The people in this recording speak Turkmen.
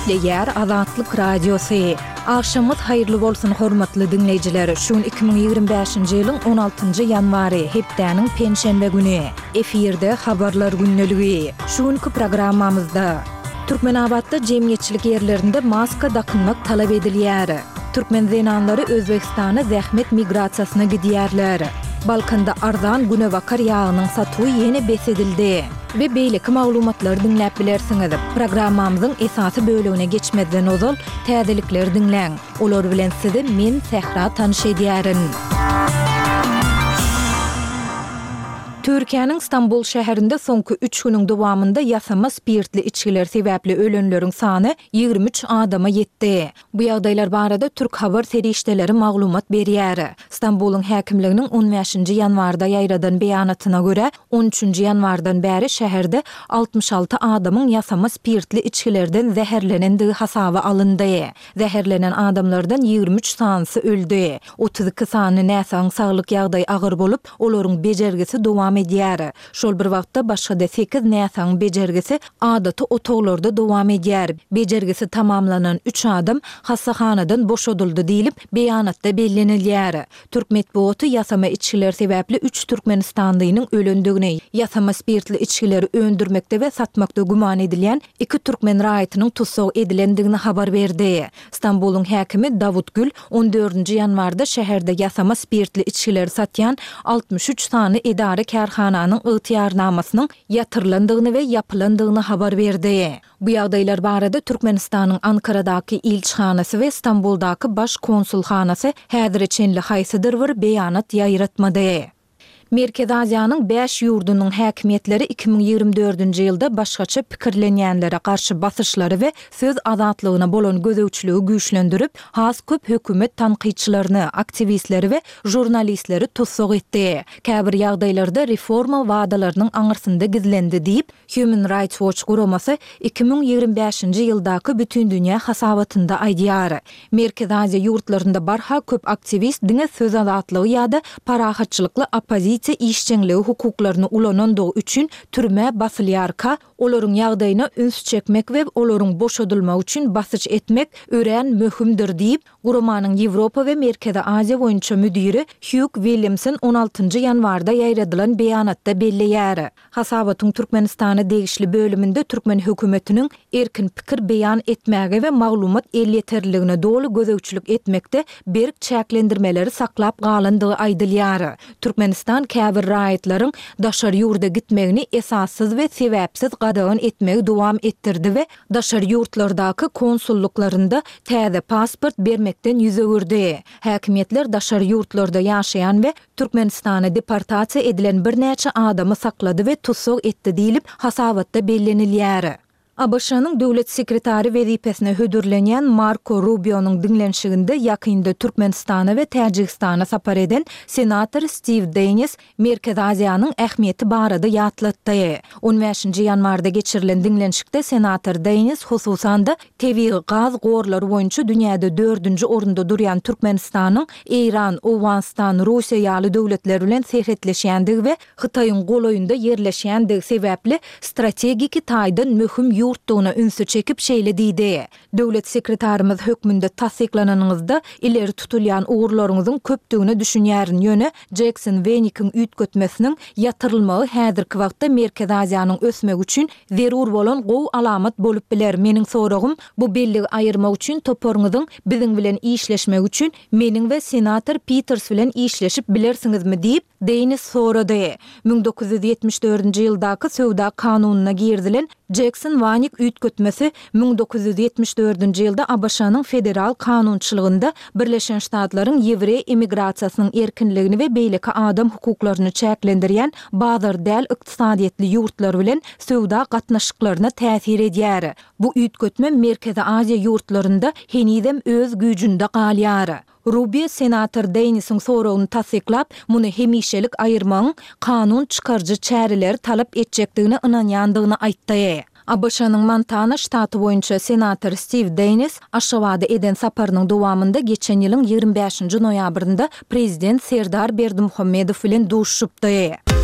Gepleýär Azatlyk Radiosy. Agşamyňyz haýyrly bolsun hormatly diňleýjiler! Şu gün 2025-nji ýylyň on altynjy ýanwary, hepdäniň penşenbe güni. Efirde Habarlar gündeligi. Şu günki programmamyzda. Türkmenabatda jemgyýetçilik ýerlerinde maska dakynmak talap edilýär. Türkmen zenanlary Özbegistana zähmet migrasiýasyna gidýärler. Balkanda arzan günebakar ýagynyň satuwy ýene bes edildi. We beýleki maglumatlary diňläp bilersiňiz. Programmamyzyň esasy bölegine geçmezden ozal, täzelikleri diňläň. Olar bilen sizi men, Sähra tanyş edýärin. Türkiýäniň Stambul şäherinde soňky üç günüň dowamynda ýasama spirtli içgiler sebäpli ölenleriň sany 23 adama ýetdi. Bu ýagdaýlar barada türk habar serişdeleri maglumat berýär. Stambulyň häkimliginiň on bäşinji ýanwarda ýaýradan beýanatyna görä, on üçünji ýanwardan bäri şäherde 66 adamyň ýasama spirtli içgilerden zäherlenendigi hasaba alyndy. Zäherlenen adamlardan 23 sanysy öldi. 32 sany näsagyň saglyk ýagdaýy agyr bolup, olaryň bejergisi dowam edýär. Şol bir wagtda, başga-da sekiz näsagyň bejergisi adaty otaglarda dowam edýär. Bejergisi tamamlanan üç adam hassahanadan boşadyldy diýlip, beýanatda bellenilýär. Türk metbugaty ýasama içgiler sebäpli üç türkmenistanlynyň ölendigini, ýasama spirtli içgileri öndürmekde we satmakda güman edilýän iki türkmen raýatynyň tussag edilendigini habar berdi. Stambulyň häkimi Dawut Gül on dördünji ýanwarda şäherde ýasama spirtli içgileri satýan 63 sany edara-kärhananyň ygtyýarnamasynyň ýatyrylandygyny we ýapylandygyny habar berdi. Bu ýagdaýlar barada Türkmenistanyň Ankaradaky ilçihanasy we Stambuldaky Baş konsulhanasy häzire çenli haýsydyr bir beýanat ýaýratmady. Merkezi Aziýanyň bäş ýurdunyň häkimiýetleri 2024-nji ýylda başgaça pikirlenýänlere garşy basyşlary we söz azatlygyna bolan gözegçiligi güýçlendirip, has köp hökümet tankytçylaryny, aktiwistleri we žurnalistleri tussag etdi. Käbir ýagdaýlarda reforma wadalarynyň aňyrsynda gizlendi diýip, Human Rights Watch guramasy 2025-nji ýyldaky bütindünýä hasabatynda aýdýar. Merkezi Aziýa ýurtlarynda barha köp aktiwist diňe söz azatlygy ýa-da parahatçylykly oppozisiýa işjeňligi hukuklaryny ulanandygy üçin türmä basylýarka, olaryň ýagdaýyna üns çekmek we olaryň boşadylmagy üçin basyş etmek örän möhümdir diýip, guramanyň Ýewropa we Merkezi Aziýa boýunça müdiri Hýug Williamson on altynjy ýanwarda ýaýradylan beýanatda belleýär. Hasabatyň Türkmenistana degişli bölüminde türkmen hökümetiniň erkin pikir beýan etmäge we maglumat elýeterliligine doly gözegçilik etmekde berk çäklendirmeleri saklap galandygy aýdylýar. Türkmenistan käbir raýatlaryň daşary ýurda gitmegini esassyz we sebäpsiz gadagan etmegi dowam etdirdi we daşary ýurtlardaky konsullyklarynda täze pasport bermekden ýüz öwürdi. Häkimiýetler daşary ýurtlarda ýaşaýan we Türkmenistana deportasiýa edilen birnäçe adamy saklady we tussag etdi diýlip, hasabatda bellenilýär. ABŞ-nyň Döwlet sekretary wezipesine hödürlenýän Marko Rubionyň diňlenişiginde ýakynda Türkmenistana we Täjigistana sapar eden senator Stiw Deýnis Merkezi Aziýanyň ähmiýeti barada ýatlatdy. On bäşinji ýanwarda geçirilen diňlenişikde senator Deýnis hususan-da Tebigy gaz gorlary boýunça dünýäde dördünji orunda durýan Türkmenistanyň Eýran, Owganystan, Russiýa ýaly döwletler bilen serhetleşýändigi we Hytaýyň golaýynda ýerleşýändigi sebäpli strategiki taýdan möhüm ýurtdugyna ünsi çekip şeýle diýdi, Döwlet sekretarymyz hökmünde tassyklananyňyzda ileri tutulýan ugurlaryňyzyň köpdügine düşünýärin, ýöne Jekson-Wenikiň üýtgetmesiniň ýatyrylmagy häzirki wagtda Merkezi Aziýanyň ösmegi üçin Zerur bolan gowy alamat bolup biler. Meniň soragym, bu belligi aýyrmak üçin toparyňyzyň biziň bilen işleşmegi üçin meniň we senator Piters bilen işleşip bilersiňizmi diýip, Deýnis sorady. 1974-nji ýyldaky söwda kanunyna girizilen Jekson-Wanik üýtgetmesi 1974-nji ýylda ABŞ-nyň federal kanunçylygynda Birleşen Ştatlaryň ýewreý emigrasiýasynyň erkinligini we beýleki adam hukuklaryny çäklendirýän bazar däl ykdysadyýetli ýurtlar bilen söwda gatnaşyklaryna täsir edýär. Bu üýtgetme Merkezi Aziýa ýurtlarynda henizem öz güýjünde galýar. Rubio senator Deýnisiň soragyny tassyklap, muny hemişelik aýyrmagyň kanun çykaryjy çäreleri talap etjekdigine ynanýandygyny aýtdy. ABŞ-nyň Montana ştaty boýunça senator Stiw Deýnis Aşgabada eden saparynyň dowamynda geçen ýylyň 25-nji noýabrynda prezident Serdar Berdimuhamedow bilen duşuşypdy.